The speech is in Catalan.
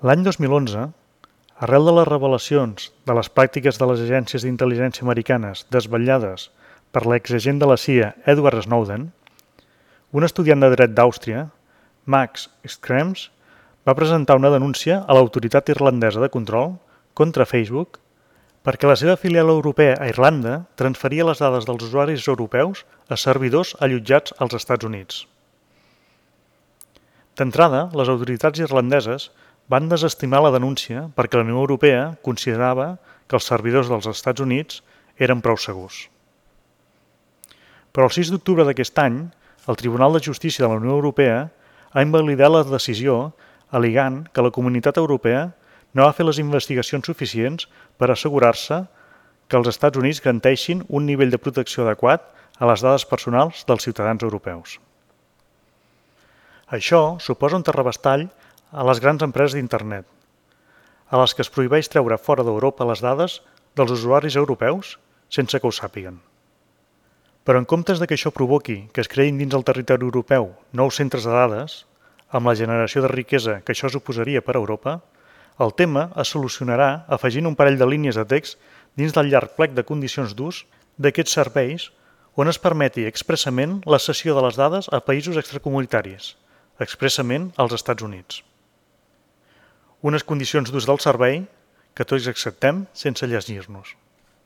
L'any 2011, arrel de les revelacions de les pràctiques de les agències d'intel·ligència americanes desvetllades per l'exagent de la CIA Edward Snowden, un estudiant de dret d'Àustria, Max Schrems, va presentar una denúncia a l'autoritat irlandesa de control contra Facebook perquè la seva filial europea a Irlanda transferia les dades dels usuaris europeus a servidors allotjats als Estats Units. D'entrada, les autoritats irlandeses van desestimar la denúncia perquè la Unió Europea considerava que els servidors dels Estats Units eren prou segurs. Però el 6 d'octubre d'aquest any, el Tribunal de Justícia de la Unió Europea ha invalidat la decisió al·legant que la Comunitat Europea no va fer les investigacions suficients per assegurar-se que els Estats Units garanteixin un nivell de protecció adequat a les dades personals dels ciutadans europeus. Això suposa un terrabastall a les grans empreses d'Internet, a les que es prohibeix treure fora d'Europa les dades dels usuaris europeus sense que ho sàpiguen. Però en comptes de que això provoqui que es creïn dins el territori europeu nous centres de dades, amb la generació de riquesa que això suposaria per a Europa, el tema es solucionarà afegint un parell de línies de text dins del llarg plec de condicions d'ús d'aquests serveis on es permeti expressament la cessió de les dades a països extracomunitaris, expressament als Estats Units. Unes condicions d'ús del servei que tots acceptem sense llegir-nos.